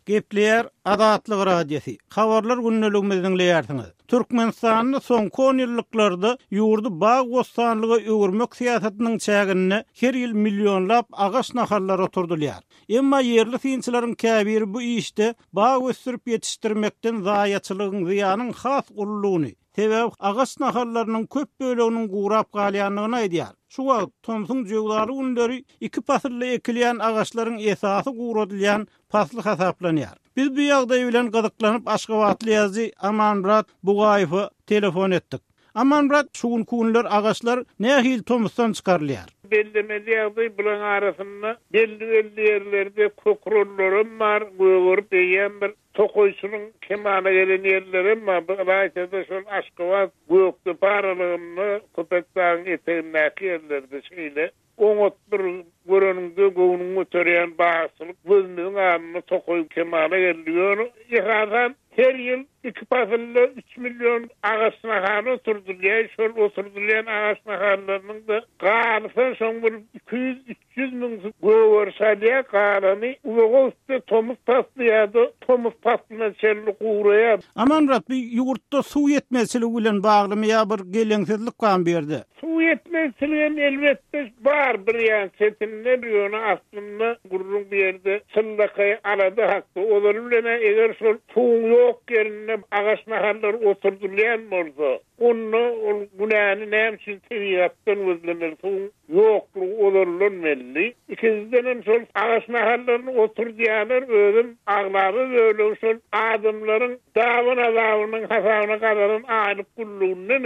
Gepleýär Azatlyk Radiosy, Habarlar gündeligimizi diňleýärsiňiz. Türkmenistanda soňky onýyllyklarda ýurdy bag-bossanlyga öwürmek syýasatynyň çäginde her ýyl millionlap agaç nahallary oturdylýar. Emma ýerli synçylaryň käbiri bu işde bag ösdürip ýetişdirmekden zaýaçylygyň, zyýanyň has uludygyny, sebäbi agaç nahallarynyň köp böleginiň gurap galýandygyny aýdýar. Şu wagt, tomsuň jöwzaly günleri iki pasylda ekilýän agaçlaryň esasy guradylýan pasly hasaplanýar. Biz bu ýagdaý bilen gyzyklanyp aşgabatly ýazyjy Amanmyrat Bugaýewe telefon etdik. Amanmyrat, şu günki günler agaçlar nähili tomusdan çykarylýar? Bellemeli ýagdaý, bularyň arasynda belli-belli ýerlerde kökrollaram bar, gögerip eýýäm bir tokaýçylygyň kemala gelen ýerlerem bar. Bu ylaýta-da şol Aşgabat, Gökdepe aralygynda, Köpetdagyň etegindäki ýerlerde şeýle. Oňat bir göreniňde göwnüňi göterýän bagçylyk gözümiziň alnynda tokaý kemala geldi. Ýöne esasan her ýyl iki pasylda üç million agaç nahaly oturdylýar. Şol oturdylýan agaç nahallarynyň-da galysa şoň bir 200, 300 müňüsi gögeriş alýar, galany uzaga gitse tomus pasly ýa-da tomus paslyna çenli guraýar. Amanmyrat, bu ýurtda suw ýetmezçiligi bilen baglymy ýa bir geleňsizlik barmy bu ýerde? Suw ýetmezçiligem elbetde bar bir ýan çetinde, ýöne aslynda gürrüň bu ýerde çynlakaý alada hakda. Ozaly bilen-ä eger şol suwuň ýok ýerinde agaç nahallary oturdylýan bolsa, onda ol günäni näme üçin tebigatdan gözlemeli, suwuň ýoklugy ozaldan belli. Ikinjidenem şol agaç nahallaryny oturdýarlar, özem aglaba bölegi şol adamlaryň Daban azabynyň hasabyna gazanan aýlyk güllüginden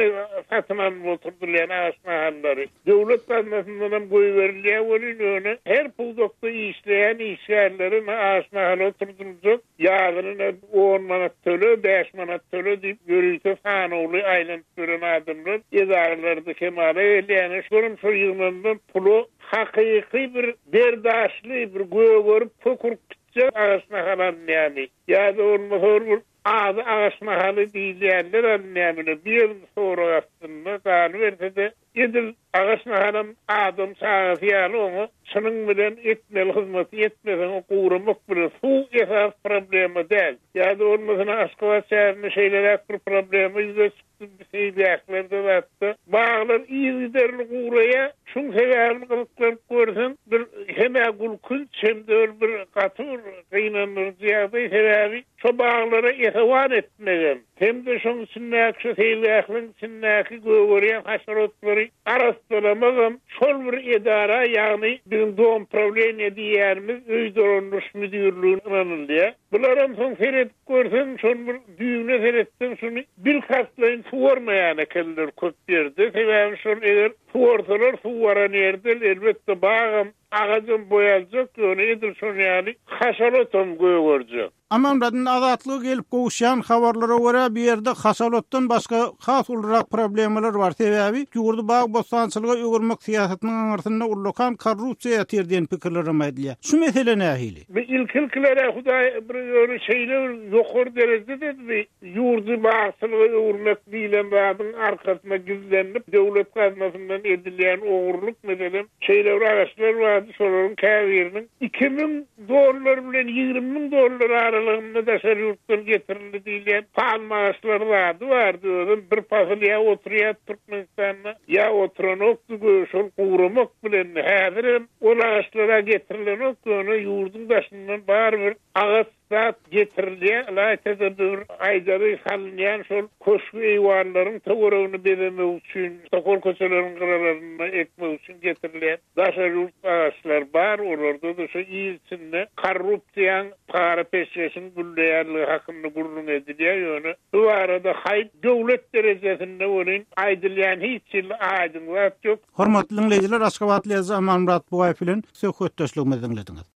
satyn alnyp oturdylýan agaç nahallary döwlet gaznasyndanam goýberilýär welin, ýöne her pudakda işleýän işgärlere ine agaç nahaly oturdyljak, ýazyna ine on manat töle, bäş manat töle diýip ýörite sanawly aýlanyp ýören adamlar edaralarda kemala gelýär. Ine şolam şol ýygnanylan pula hakyky bir berdaşly, bir gögerip, kök urup gitjek agaç nahal alynýarmy? Ýa-da bolmasa ol bir ady agaç nahaly diýilýänler alynýarmy-da, bu ýeriň sorag astynda galyberse-de, edil agaç nahalam adam çagasy ýaly oňa çynyň bilen etmeli hyzmaty etmeseň, guramak bilen suw esasy problema däl. Ýa-da bolmasa Aşgabat şäherinde şeýleräk bir problema ýüze çykdy. Seýilgählerde zatda baglar yzygiderli guraýar. Şuň sebäbini gyzyklanyp görseň, bir hem-ä gülkünç, hem-de ol bir gaty bir gynandyryjy ýagdaý. Sebäbi şo baglara esewan etmegem, hem-de şoň içindäki, şo seýilgähleriň içindäki gögerýän haşerotlary arassalamagam şol bir edara, ýagny biziň domprawleniýe diýýänimiz öý dolandyryş müdirligine ynanylýar. Bularam soň seredip görseň, şony bir düýbüne seretseň, şuny bilkastlaýyn suwarmaýan ekenler köp ýerde. Sebäbi şol eger suwarsalar, suw baran ýerde elbetde bagam, agajam boý aljak, ýöne edil şonuň ýaly haşal otam gögerjek. Amanmyrat, indi Azatlyga gelip gowuşýan habarlara görä, bu ýerde haşal otdan başga has ulurak problemalar bar. Sebäbi ýurdy bag-bossançylyga öwürmek syýasatynyň aňyrsynda ullakan korrupsiýa ýatyr diýen pikirlerem aýdylýar. Şu mesele nähili? Bu ilki-ilkiler-ä Hudaý bir ýöne şeýle bir ýokary derejede bi ýurdy bagçylyga öwürmek diýlen zadyň arkasyna gizlenip, döwlet gaznasyndan edilýän ogurlyk, meselem, şeýle bir agaçlar bardy, şolaryň käbiriniň 2000 dollar bilen 20 müň dollar aralygynda daşary ýurtdan getirildi diýilýän palma agaçlary zady bardy, özem bir pasyl ýa oturýardy Türkmenistanda, ýa oturanokdy, göýä şol guramak bilendi. Häzirem Ol agaçlar-a getirilenok, ýöne ýurduň daşyndan barybir agaç zat getirilýär. Ylaýta-da bir aýdary salynýan şol köşgi-eýwanlaryň töweregini bezemek üçin, sokol köçeleriň gyralarynda ekmek üçin getirilýän daşary ýurt agaçlar bar. Olarda-da şu il içinde korrupsiýaň, para-peşgeşiň gülleýänligi hakynda gürrüň edilýär. Ýöne bu barada haýp döwlet derejesinde welin aýdylýan hiç hili aýdyň zat ýok. Hormatly diňleýjiler Aşgabatly ýazyjy Amanmyrat Bugaýew bilen söhbetdeşligimizi diňlediňiz.